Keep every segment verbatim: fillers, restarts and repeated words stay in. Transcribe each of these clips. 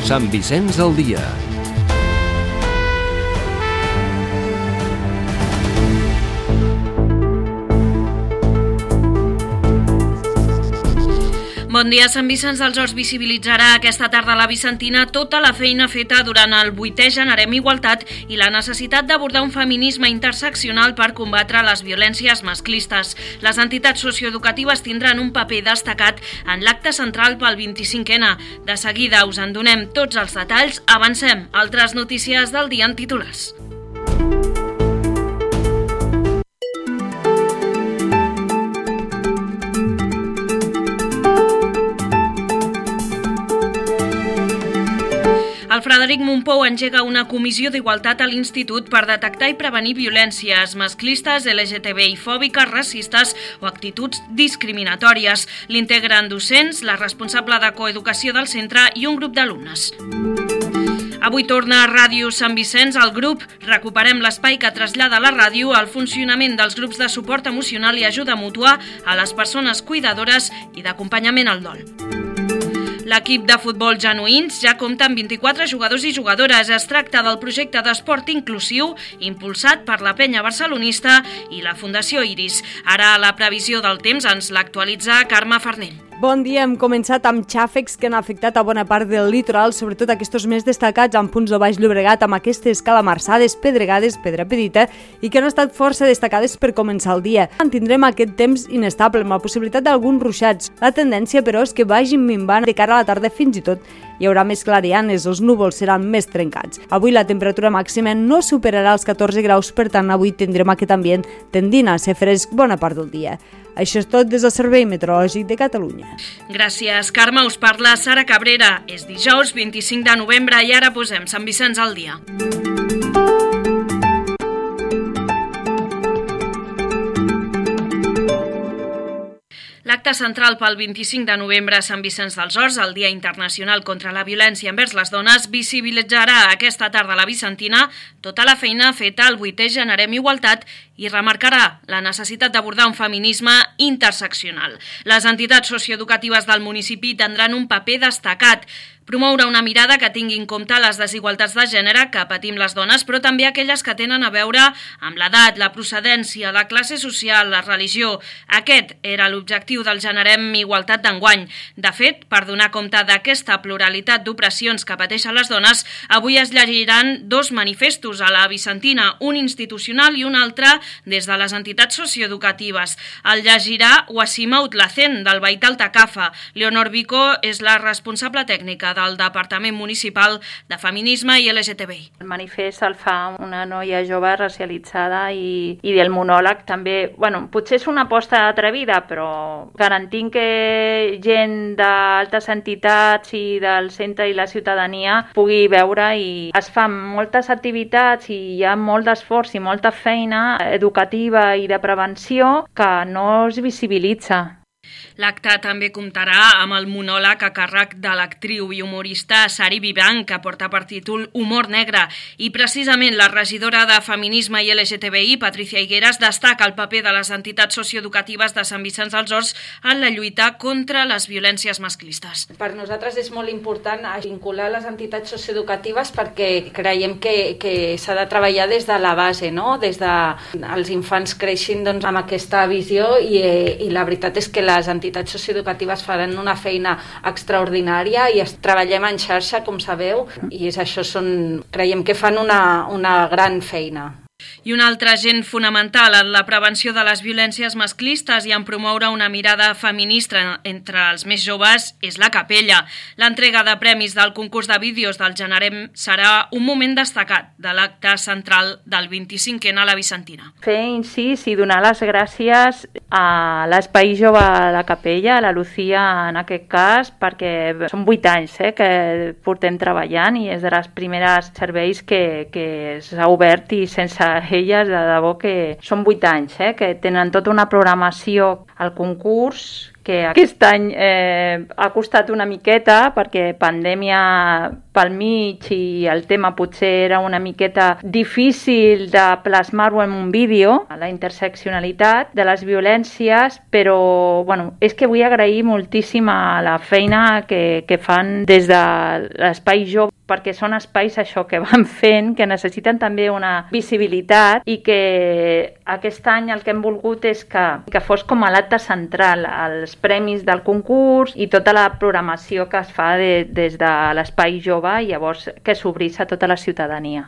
Sant Vicenç al dia. Bon dia. Sant Vicenç dels Horts visibilitzarà aquesta tarda a la Vicentina tota la feina feta durant el vuitè Generem Igualtat i la necessitat d'abordar un feminisme interseccional per combatre les violències masclistes. Les entitats socioeducatives tindran un paper destacat en l'acte central pel vint-i-cinquè ena. De seguida us en donem tots els detalls. Avancem. Altres notícies del dia en titulars. El Frederic Mompou engega una comissió d'igualtat a l'Institut per detectar i prevenir violències masclistes, L G T B I fòbiques, racistes o actituds discriminatòries. L'integren docents, la responsable de coeducació del centre i un grup d'alumnes. Avui torna a Ràdio Sant Vicenç al grup. Recuperem l'espai que trasllada la ràdio al funcionament dels grups de suport emocional i ajuda mútua a les persones cuidadores i d'acompanyament al dol. L'equip de futbol Genuïns ja compta amb vint-i-quatre jugadors i jugadores. Es tracta del projecte d'esport inclusiu impulsat per la Penya Barcelonista i la Fundació Iris. Ara la previsió del temps ens l'actualitza Carme Farnell. Bon dia, hem començat amb xàfecs que han afectat a bona part del litoral, sobretot aquests més destacats en punts de Baix Llobregat amb aquestes calamarsades, pedregades, pedra petita i que han estat força destacades per començar el dia. Tindrem aquest temps inestable amb la possibilitat d'alguns ruixats. La tendència, però, és que vagin minvant de cara a la tarda. Fins i tot hi haurà més clarianes, els núvols seran més trencats. Avui la temperatura màxima no superarà els catorze graus, per tant avui tindrem aquest ambient tendint a ser fresc bona part del dia. Això és tot des del Servei Meteorològic de Catalunya. Gràcies, Carme. Us parla Sara Cabrera. És dijous vint-i-cinc de novembre i ara posem Sant Vicenç al dia. L'acte central pel vint-i-cinc de novembre a Sant Vicenç dels Horts, el Dia Internacional contra la Violència envers les Dones, visibilitzarà aquesta tarda a la Vicentina tota la feina feta al vuitè Generem Igualtat i remarcarà la necessitat d'abordar un feminisme interseccional. Les entitats socioeducatives del municipi tindran un paper destacat. Promoure una mirada que tingui en compte les desigualtats de gènere que patim les dones, però també aquelles que tenen a veure amb l'edat, la procedència, la classe social, la religió. Aquest era l'objectiu del Generem Igualtat d'enguany. De fet, per donar compte d'aquesta pluralitat d'opressions que pateixen les dones, avui es llegiran dos manifestos a la Vicentina, un institucional i un altre des de les entitats socioeducatives. El llegirà Wasima Utlacen, del Veí Altacafa. Leonor Vico és la responsable tècnica del Departament Municipal de Feminisme i L G T B I. El manifest el fa una noia jove racialitzada i, i del monòleg també, bueno, potser és una aposta atrevida, però garantint que gent d'altres entitats i del centre i la ciutadania pugui veure, i es fan moltes activitats i hi ha molt d'esforç i molta feina educativa i de prevenció que no es visibilitza. L'acte també comptarà amb el monòleg a càrrec de l'actriu i humorista Sari Vivan, que porta per títol Humor negre, i precisament la regidora de Feminisme i L G T B I, Patricia Higueras, destaca el paper de les entitats socioeducatives de Sant Vicenç dels Horts en la lluita contra les violències masclistes. Per nosaltres és molt important vincular les entitats socioeducatives perquè creiem que, que s'ha de treballar des de la base, no? Des de els infants creixin doncs, amb aquesta visió i, i la veritat és que les entitats socioeducatives faran una feina extraordinària i treballem en xarxa, com sabeu, i és això, són, creiem que fan una, una gran feina. I un altre agent fonamental en la prevenció de les violències masclistes i en promoure una mirada feminista entre els més joves és la Capella. L'entrega de premis del concurs de vídeos del Generem serà un moment destacat de l'acte central del vint-i-cinquè ena a la Vicentina. Fer incís i donar les gràcies a l'Espai Jove de la Capella, a la Lucía en aquest cas, perquè són vuit anys eh, que portem treballant i és de les primeres serveis que, que s'ha obert, i sense elles de debò que són vuit anys, eh, que tenen tota una programació al concurs que aquest any eh, ha costat una miqueta perquè pandèmia pel mig i el tema potser era una miqueta difícil de plasmar-ho en un vídeo, la interseccionalitat de les violències, però bueno, és que vull agrair moltíssim a la feina que, que fan des de l'Espai Jove, perquè són espais això que van fent, que necessiten també una visibilitat i que aquest any el que hem volgut és que, que fos com a l'acte central, els premis del concurs i tota la programació que es fa de, des de l'Espai Jove i llavors que s'obrís a tota la ciutadania.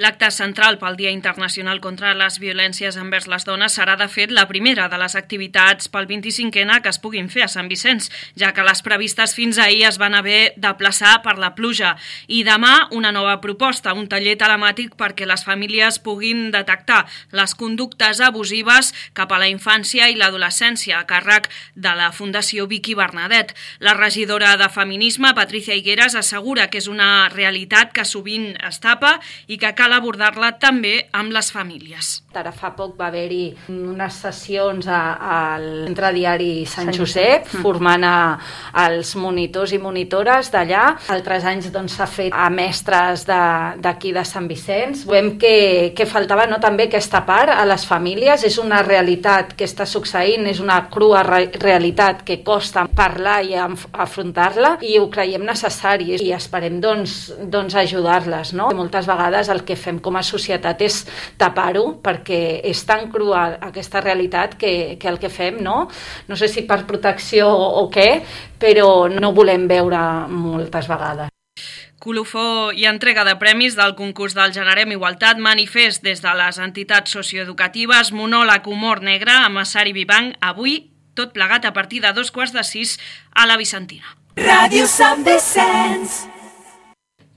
L'acte central pel Dia Internacional contra les Violències envers les Dones serà, de fet, la primera de les activitats pel vint-i-cinquè que es puguin fer a Sant Vicenç, ja que les previstes fins ahir es van haver de plaçar per la pluja. I demà una nova proposta, un taller telemàtic perquè les famílies puguin detectar les conductes abusives cap a la infància i l'adolescència, a càrrec de la Fundació Vicky Bernadet. La regidora de Feminisme, Patricia Higueras, assegura que és una realitat que sovint es tapa i que cal abordar-la també amb les famílies. Ara fa poc va haver-hi unes sessions al Centre Diari Sant Josep, formant a, als monitors i monitores d'allà. Altres anys doncs, s'ha fet a mestres d'aquí de, de Sant Vicenç. Veiem que, que faltava no, també aquesta part a les famílies. És una realitat que està succeint, és una crua re realitat que costa parlar i afrontar-la i ho creiem necessari i esperem doncs, doncs ajudar-les. No? Moltes vegades el que fem com a societat és tapar-ho perquè és tan crua aquesta realitat que, que el que fem, no? No sé si per protecció o què, però no volem veure moltes vegades. Colofó i entrega de premis del concurs del Generem Igualtat, manifest des de les entitats socioeducatives, monòleg Humor Negre amb Sari Vivanc, avui tot plegat a partir de dos quarts de sis a la Vicentina. Ràdio Sant Vicenç.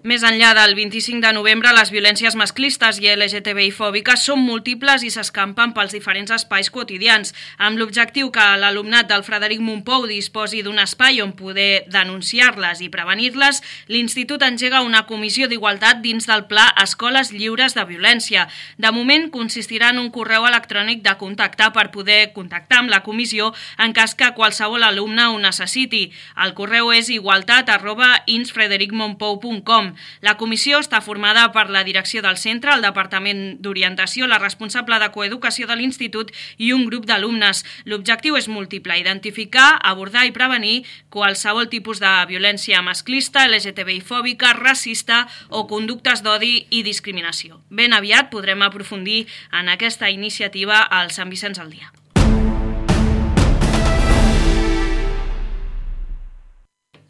Més enllà del vint-i-cinc de novembre, les violències masclistes i L G T B I-fòbiques són múltiples i s'escampen pels diferents espais quotidians. Amb l'objectiu que l'alumnat del Frederic Mompou disposi d'un espai on poder denunciar-les i prevenir-les, l'Institut engega una comissió d'igualtat dins del Pla Escoles Lliures de Violència. De moment, consistirà en un correu electrònic de contactar per poder contactar amb la comissió en cas que qualsevol alumne ho necessiti. El correu és igualtat arroba insfredericmompou punt com. La comissió està formada per la direcció del centre, el Departament d'Orientació, la responsable de coeducació de l'institut i un grup d'alumnes. L'objectiu és múltiple, identificar, abordar i prevenir qualsevol tipus de violència masclista, L G T B I-fòbica, racista o conductes d'odi i discriminació. Ben aviat podrem aprofundir en aquesta iniciativa al Sant Vicenç al Dia.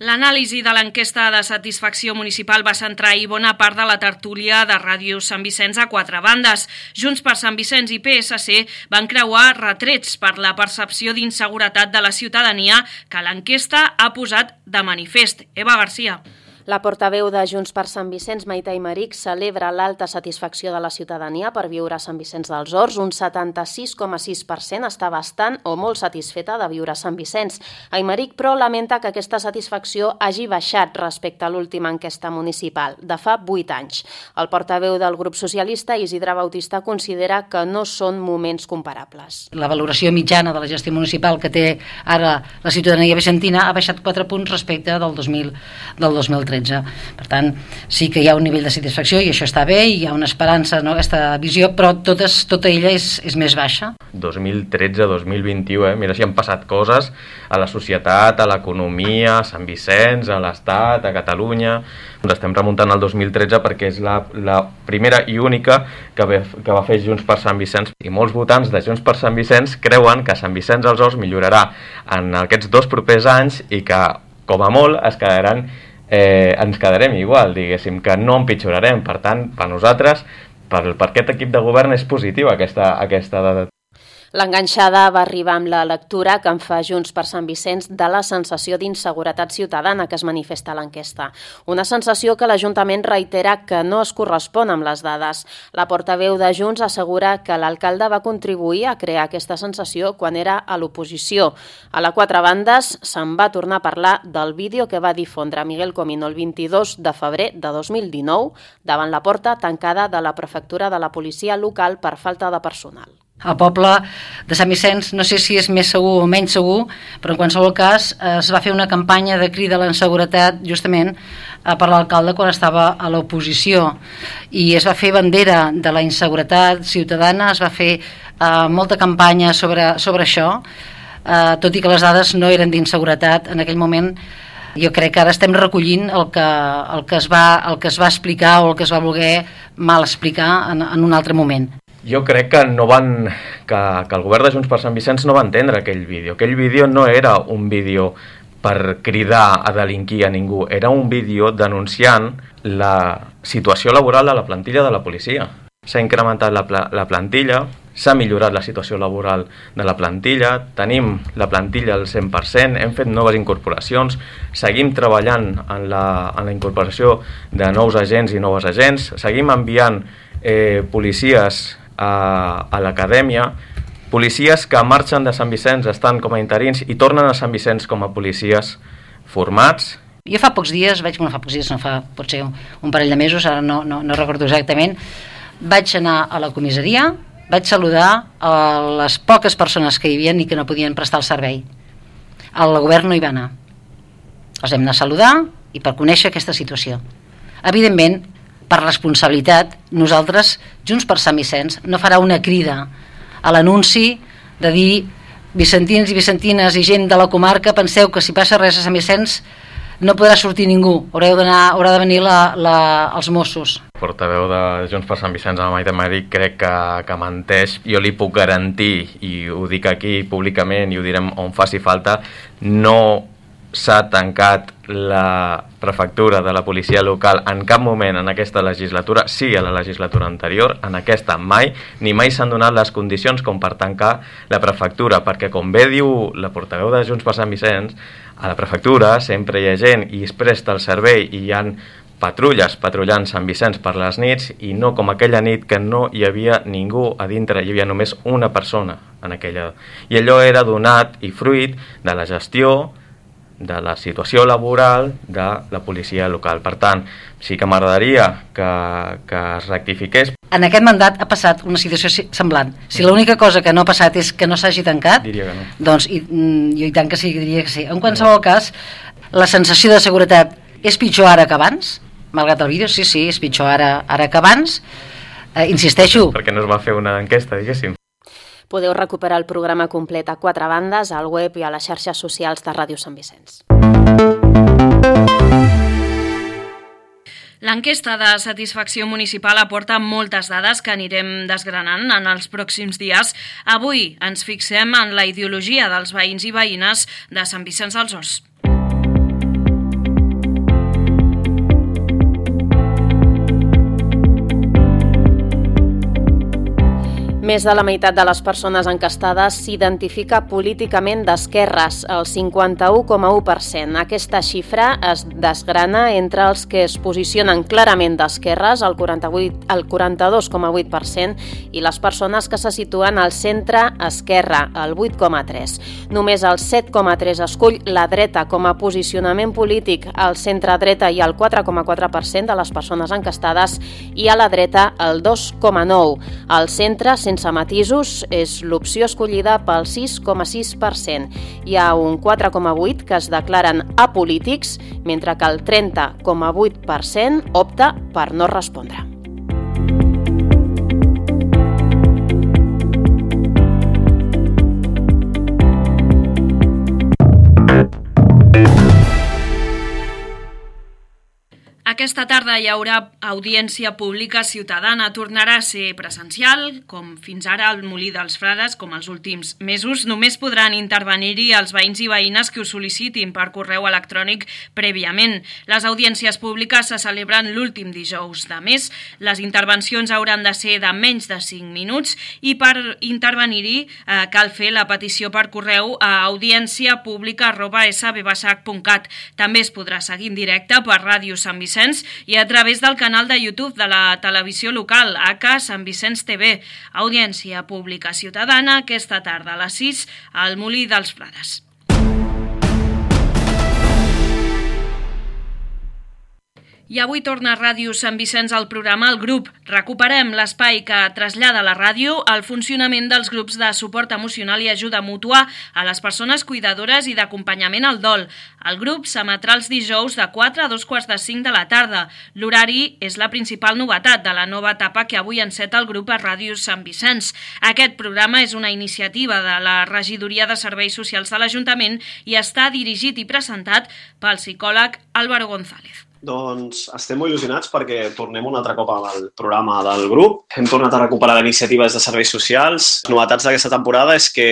L'anàlisi de l'enquesta de satisfacció municipal va centrar ahir bona part de la tertúlia de Ràdio Sant Vicenç a quatre bandes. Junts per Sant Vicenç i P S C van creuar retrets per la percepció d'inseguretat de la ciutadania que l'enquesta ha posat de manifest. Eva Garcia. La portaveu de Junts per Sant Vicenç, Maite Aymeric, celebra l'alta satisfacció de la ciutadania per viure a Sant Vicenç dels Horts. Un setanta-sis coma sis per cent està bastant o molt satisfeta de viure a Sant Vicenç. Aymeric, però, lamenta que aquesta satisfacció hagi baixat respecte a l'última enquesta municipal, de fa vuit anys. El portaveu del grup socialista, Isidre Bautista, considera que no són moments comparables. La valoració mitjana de la gestió municipal que té ara la ciutadania vicentina ha baixat quatre punts respecte del dos mil tretze. Per tant, sí que hi ha un nivell de satisfacció i això està bé, hi ha una esperança, no, aquesta visió, però totes, tota ella és, és més baixa. dos mil tretze dos mil vint-i-u, eh? Mira si han passat coses a la societat, a l'economia, a Sant Vicenç, a l'Estat, a Catalunya. Ens estem remuntant al dos mil tretze perquè és la, la primera i única que, ve, que va fer Junts per Sant Vicenç. I molts votants de Junts per Sant Vicenç creuen que Sant Vicenç dels Horts millorarà en aquests dos propers anys i que, com a molt, es quedaran Eh, ens quedarem igual, diguéssim, que no empitjorarem. Per tant, per nosaltres, per, per aquest equip de govern és positiva aquesta, aquesta dada. L'enganxada va arribar amb la lectura que en fa Junts per Sant Vicenç de la sensació d'inseguretat ciutadana que es manifesta a l'enquesta. Una sensació que l'Ajuntament reitera que no es correspon amb les dades. La portaveu de Junts assegura que l'alcalde va contribuir a crear aquesta sensació quan era a l'oposició. A la quatre bandes se'n va tornar a parlar del vídeo que va difondre Miguel Comino el vint-i-dos de febrer de dos mil dinou davant la porta tancada de la prefectura de la policia local per falta de personal. El poble de Sant Vicenç, no sé si és més segur o menys segur, però en qualsevol cas es va fer una campanya de crida a la inseguretat justament per l'alcalde quan estava a l'oposició, i es va fer bandera de la inseguretat ciutadana, es va fer eh, molta campanya sobre, sobre això, eh, tot i que les dades no eren d'inseguretat en aquell moment. Jo crec que ara estem recollint el que, el que, es, va, el que es va explicar o el que es va voler mal explicar en, en un altre moment. Jo crec que no van que, que el govern de Junts per Sant Vicenç no va entendre aquell vídeo. Aquell vídeo no era un vídeo per cridar a delinquir a ningú, era un vídeo denunciant la situació laboral de la plantilla de la policia. S'ha incrementat la, pla, la plantilla, s'ha millorat la situació laboral de la plantilla, tenim la plantilla al cent per cent, hem fet noves incorporacions, seguim treballant en la, en la incorporació de nous agents i noves agents, seguim enviant eh, policies a, a l'acadèmia, policies que marxen de Sant Vicenç, estan com a interins i tornen a Sant Vicenç com a policies formats. Jo fa pocs dies, vaig, bueno, fa pocs dies, no fa, pot ser un, un parell de mesos, ara no, no, no recordo exactament, vaig anar a la comissaria, vaig saludar a les poques persones que hi havia i que no podien prestar el servei. El govern no hi va anar. Els hem d'anar a saludar i per conèixer aquesta situació. Evidentment, per responsabilitat, nosaltres, Junts per Sant Vicenç, no farà una crida a l'anunci de dir vicentins i vicentines i gent de la comarca, penseu que si passa res a Sant Vicenç no podrà sortir ningú, haureu d'anar, haurà de venir la, la, els Mossos. El portaveu de Junts per Sant Vicenç, la Maite Mari, crec que, que menteix. Jo li puc garantir, i ho dic aquí públicament i ho direm on faci falta, no s'ha tancat la prefectura de la policia local en cap moment en aquesta legislatura, sí a la legislatura anterior, en aquesta mai, ni mai s'han donat les condicions com per tancar la prefectura, perquè com bé diu la portaveu de Junts per Sant Vicenç, a la prefectura sempre hi ha gent i es presta el servei i hi ha patrulles patrullant Sant Vicenç per les nits, i no com aquella nit que no hi havia ningú a dintre, hi havia només una persona en aquella. I allò era donat i fruit de la gestió de la situació laboral de la policia local. Per tant, sí que m'agradaria que, que es rectifiqués. En aquest mandat ha passat una situació semblant. Si l'única cosa que no ha passat és que no s'hagi tancat, diria que no. Doncs i, jo i tant que sí, diria que sí. En qualsevol cas, la sensació de seguretat és pitjor ara que abans, malgrat el vídeo, sí, sí, és pitjor ara, ara que abans. Eh, insisteixo... Perquè no es va fer una enquesta, diguéssim. Podeu recuperar el programa complet a quatre bandes, al web i a les xarxes socials de Ràdio Sant Vicenç. L'enquesta de satisfacció municipal aporta moltes dades que anirem desgranant en els pròxims dies. Avui ens fixem en la ideologia dels veïns i veïnes de Sant Vicenç dels Horts. Més de la meitat de les persones encastades s'identifica políticament d'esquerres, el cinquanta-u coma u per cent. Aquesta xifra es desgrana entre els que es posicionen clarament d'esquerres, el quaranta-vuit, el quaranta-dos coma vuit per cent, i les persones que se situen al centre-esquerra, el vuit coma tres. Només el set coma tres escull la dreta com a posicionament polític, al centre-dreta i el quatre coma quatre per cent de les persones encastades, i a la dreta el dos coma nou. Al centre, sense matisos, és l'opció escollida pel sis coma sis per cent. Hi ha un quatre coma vuit per cent que es declaren apolítics, mentre que el trenta coma vuit per cent opta per no respondre. Aquesta tarda hi haurà audiència pública ciutadana. Tornarà a ser presencial, com fins ara al Molí dels Frares, com els últims mesos. Només podran intervenir-hi els veïns i veïnes que ho sol·licitin per correu electrònic prèviament. Les audiències públiques se celebren l'últim dijous de mes. Les intervencions hauran de ser de menys de cinc minuts i per intervenir-hi eh, cal fer la petició per correu a audiència pública arroba s b basac punt cat. També es podrà seguir en directe per Ràdio Sant Vicenç i a través del canal de YouTube de la televisió local, A K Sant Vicenç T V. Audiència pública ciutadana aquesta tarda a les sis al Molí dels Frares. I avui torna a Ràdio Sant Vicenç al programa El Grup. Recuperem l'espai que trasllada la ràdio al funcionament dels grups de suport emocional i ajuda mútua a les persones cuidadores i d'acompanyament al dol. El grup s'emetrà els dijous de quatre a dos quarts de cinc de la tarda. L'horari és la principal novetat de la nova etapa que avui enceta el grup a Ràdio Sant Vicenç. Aquest programa és una iniciativa de la Regidoria de Serveis Socials de l'Ajuntament i està dirigit i presentat pel psicòleg Álvaro González. Doncs estem molt il·lusionats perquè tornem un altre cop al programa del grup. Hem tornat a recuperar iniciatives de serveis socials. Les novetats d'aquesta temporada és que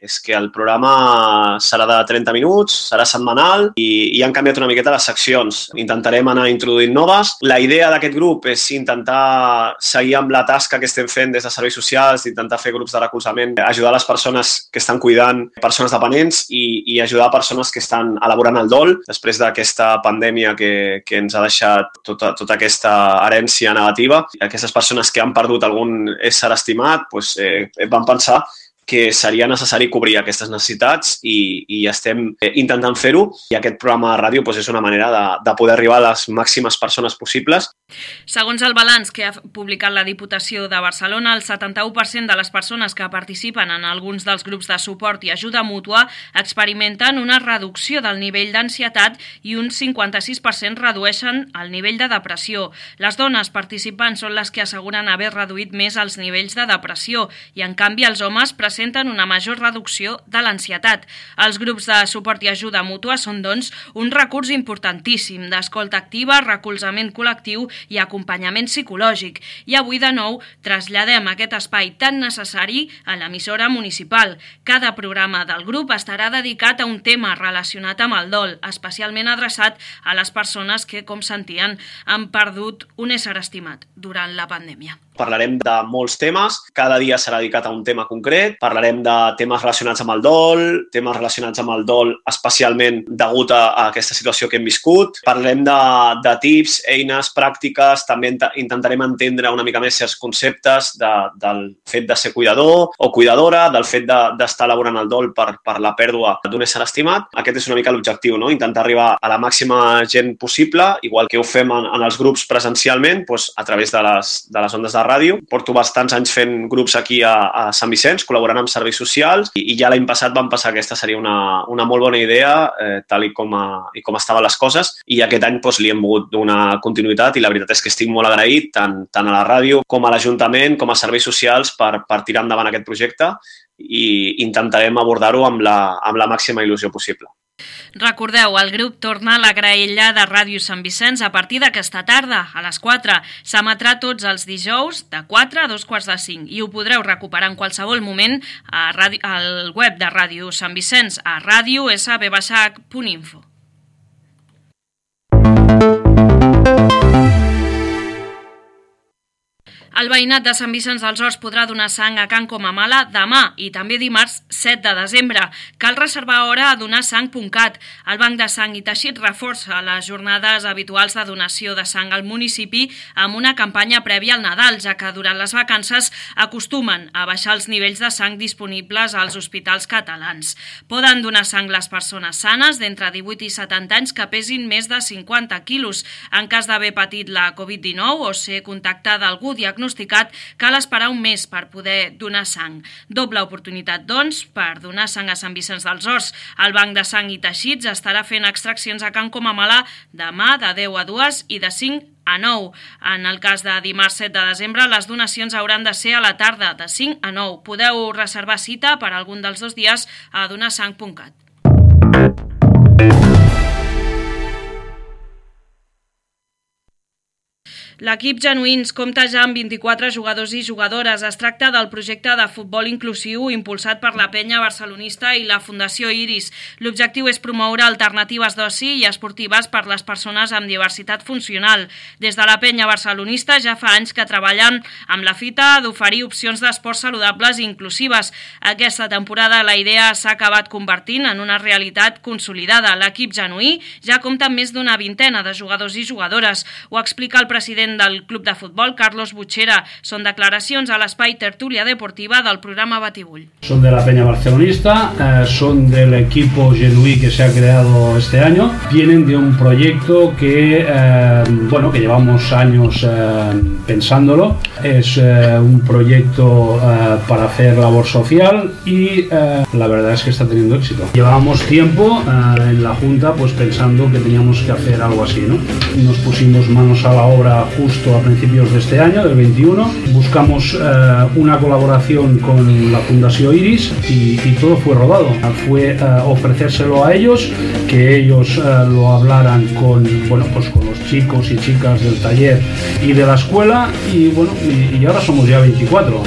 és que el programa serà de trenta minuts, serà setmanal i, i han canviat una miqueta les seccions. Intentarem anar introduint noves. La idea d'aquest grup és intentar seguir amb la tasca que estem fent des de serveis socials, intentar fer grups de recolzament, ajudar les persones que estan cuidant persones dependents i, i ajudar persones que estan elaborant el dol després d'aquesta pandèmia que, que ens ha deixat tota, tota aquesta herència negativa. Aquestes persones que han perdut algun ésser estimat doncs, eh, van pensar que seria necessari cobrir aquestes necessitats i, i estem intentant fer-ho i aquest programa de ràdio doncs, és una manera de, de poder arribar a les màximes persones possibles. Segons el balanç que ha publicat la Diputació de Barcelona, el setanta-u per cent de les persones que participen en alguns dels grups de suport i ajuda mútua experimenten una reducció del nivell d'ansietat i un cinquanta-sis per cent redueixen el nivell de depressió. Les dones participants són les que asseguren haver reduït més els nivells de depressió i, en canvi, els homes presenten una major reducció de l'ansietat. Els grups de suport i ajuda mútua són, doncs, un recurs importantíssim d'escolta activa, recolzament col·lectiu i acompanyament psicològic. I avui, de nou, traslladem aquest espai tan necessari a l'emissora municipal. Cada programa del grup estarà dedicat a un tema relacionat amb el dol, especialment adreçat a les persones que, com sentien, han perdut un ésser estimat durant la pandèmia. Parlarem de molts temes, cada dia serà dedicat a un tema concret, parlarem de temes relacionats amb el dol, temes relacionats amb el dol especialment degut a, a aquesta situació que hem viscut, parlarem de, de tips, eines, pràctiques, també intentarem entendre una mica més certs conceptes de, del fet de ser cuidador o cuidadora, del fet d'estar de, elaborant el dol per, per la pèrdua d'un ésser estimat. Aquest és una mica l'objectiu, no? Intentar arribar a la màxima gent possible, igual que ho fem en, en els grups presencialment, doncs, a través de les, de les ondes de ràdio. Porto bastants anys fent grups aquí a, a Sant Vicenç, col·laborant amb serveis socials i, i ja l'any passat vam pensar que aquesta seria una, una molt bona idea, eh, tal i com, a, i com estaven les coses, i aquest any doncs, li hem volgut donar continuïtat i la veritat és que estic molt agraït tant, tant a la ràdio com a l'Ajuntament com a serveis socials per, per tirar endavant aquest projecte i intentarem abordar-ho amb la, amb la màxima il·lusió possible. Recordeu, el grup torna a la graella de Ràdio Sant Vicenç a partir d'aquesta tarda, a les quatre. S'emetrà tots els dijous de quatre a dos quarts de cinc i ho podreu recuperar en qualsevol moment a ràdio, al web de Ràdio Sant Vicenç a radio s b h punt info. El veïnat de Sant Vicenç dels Horts podrà donar sang a Can Comamala demà i també dimarts set de desembre. Cal reservar hora a donar sang punt cat. El Banc de Sang i Teixit reforça les jornades habituals de donació de sang al municipi amb una campanya prèvia al Nadal, ja que durant les vacances acostumen a baixar els nivells de sang disponibles als hospitals catalans. Poden donar sang les persones sanes d'entre divuit i setanta anys que pesin més de cinquanta quilos. En cas d'haver patit la covid dinou o ser contacte d'algú diagnosticat, cal esperar un mes per poder donar sang. Doble oportunitat, doncs, per donar sang a Sant Vicenç dels Horts. El Banc de Sang i Teixits estarà fent extraccions a Can Comamala demà de deu a dues i de cinc a nou. En el cas de dimarts set de desembre, les donacions hauran de ser a la tarda, de cinc a nou. Podeu reservar cita per algun dels dos dies a donarsang punt cat. L'equip Genuïns compta ja amb vint-i-quatre jugadors i jugadores. Es tracta del projecte de futbol inclusiu impulsat per la Penya Barcelonista i la Fundació Iris. L'objectiu és promoure alternatives d'oci i esportives per les persones amb diversitat funcional. Des de la Penya Barcelonista ja fa anys que treballen amb la fita d'oferir opcions d'esports saludables i inclusives. Aquesta temporada la idea s'ha acabat convertint en una realitat consolidada. L'equip genuí ja compta amb més d'una vintena de jugadors i jugadores. Ho explica el president president del club de futbol, Carlos Butxera. Són declaracions a l'espai Tertúlia Deportiva del programa Batibull. Son de la Peña Barcelonista, eh, son del equipo genuí que se ha creado este año. Vienen de un proyecto que, eh, bueno, que llevamos años eh, pensándolo. Es eh, un proyecto eh, para hacer labor social y eh, la verdad es que está teniendo éxito. Llevábamos tiempo eh, en la Junta pues pensando que teníamos que hacer algo así, ¿no? Nos pusimos manos a la obra justo a principios de este año, del veintiuno. Buscamos eh, una colaboración con la Fundación Iris y, y todo fue rodado. Fue eh, ofrecérselo a ellos, que ellos eh, lo hablaran con, bueno, pues con los chicos y chicas del taller y de la escuela y bueno, y, y ahora somos ya veinticuatro.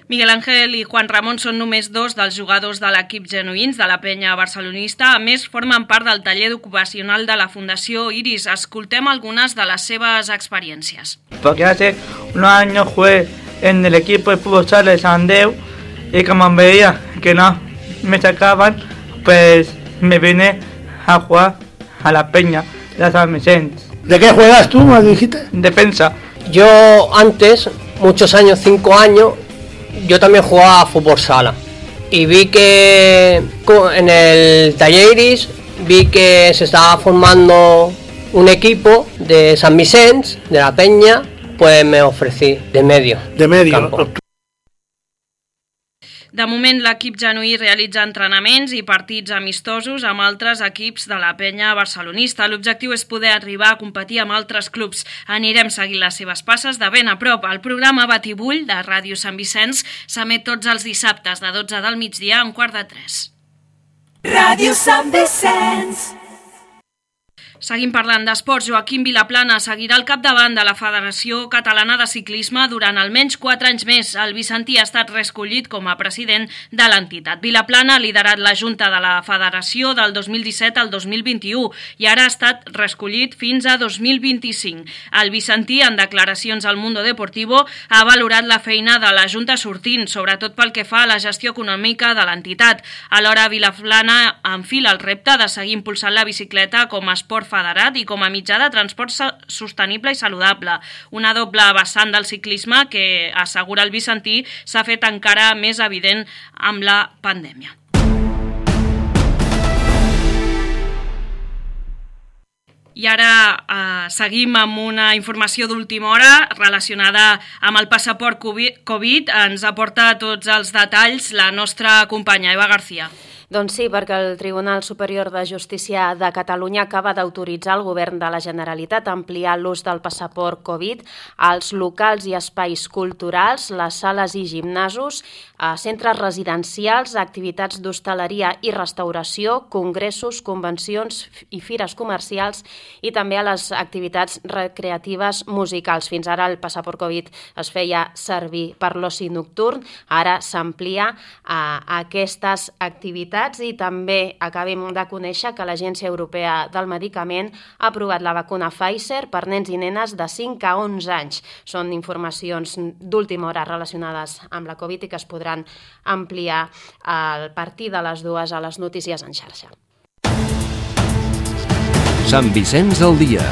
Miguel Ángel i Juan Ramon són només dos dels jugadors de l'equip genuïns de la Penya Barcelonista. A més, formen part del taller ocupacional de la Fundació Iris. Escoltem algunes de les seves experiències. Porque hace unos años jugué en el equipo de fútbol sala de Sant Andreu y como veía que no me sacaban, pues me vine a jugar a la Peña de San Vicente. ¿De qué juegas tú, me dijiste? Defensa. Yo antes, muchos años, cinco años, yo también jugaba a fútbol sala y vi que en el taller Iris vi que se estaba formando un equipo de San Vicente, de la Peña, pues me ofrecí de medio. De medio. Campo. De moment, l'equip genuí realitza entrenaments i partits amistosos amb altres equips de la Penya Barcelonista. L'objectiu és poder arribar a competir amb altres clubs. Anirem seguint les seves passes de ben a prop. El programa Batibull de Ràdio Sant Vicenç s'emet tots els dissabtes de dotze del migdia a un quart de tres. Ràdio Sant Vicenç. Seguim parlant d'esports. Joaquim Vilaplana seguirà al capdavant de la Federació Catalana de Ciclisme durant almenys quatre anys més. El vicentí ha estat reescollit com a president de l'entitat. Vilaplana ha liderat la Junta de la Federació del dos mil disset al dos mil vint-i-u i ara ha estat reescollit fins a dos mil vint-i-cinc. El vicentí, en declaracions al Mundo Deportivo, ha valorat la feina de la Junta sortint, sobretot pel que fa a la gestió econòmica de l'entitat. Alhora, Vilaplana enfila el repte de seguir impulsant la bicicleta com a esport federat i com a mitjà de transport sostenible i saludable. Una doble vessant del ciclisme que, assegura el vicentí, s'ha fet encara més evident amb la pandèmia. I ara eh, seguim amb una informació d'última hora relacionada amb el passaport Covid. Ens aporta tots els detalls la nostra companya Eva García. Doncs sí, perquè el Tribunal Superior de Justícia de Catalunya acaba d'autoritzar al Govern de la Generalitat a ampliar l'ús del passaport Covid als locals i espais culturals, les sales i gimnasos, a centres residencials, activitats d'hostaleria i restauració, congressos, convencions i fires comercials i també a les activitats recreatives musicals. Fins ara el passaport Covid es feia servir per l'oci nocturn, ara s'amplia a aquestes activitats i també acabem de conèixer que l'Agència Europea del Medicament ha aprovat la vacuna Pfizer per nens i nenes de cinc a onze anys. Són informacions d'última hora relacionades amb la Covid i que es podran ampliar a partir de les dues a les notícies en xarxa. Sant Vicenç al dia.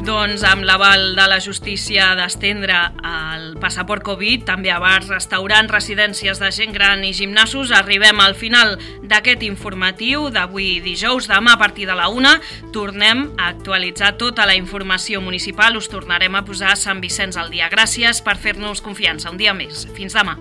Doncs amb l'aval de la justícia d'estendre el passaport Covid, també a bars, restaurants, residències de gent gran i gimnasos, arribem al final d'aquest informatiu d'avui dijous. Demà a partir de la una tornem a actualitzar tota la informació municipal. Us tornarem a posar Sant Vicenç al dia. Gràcies per fer-nos confiança un dia més. Fins demà.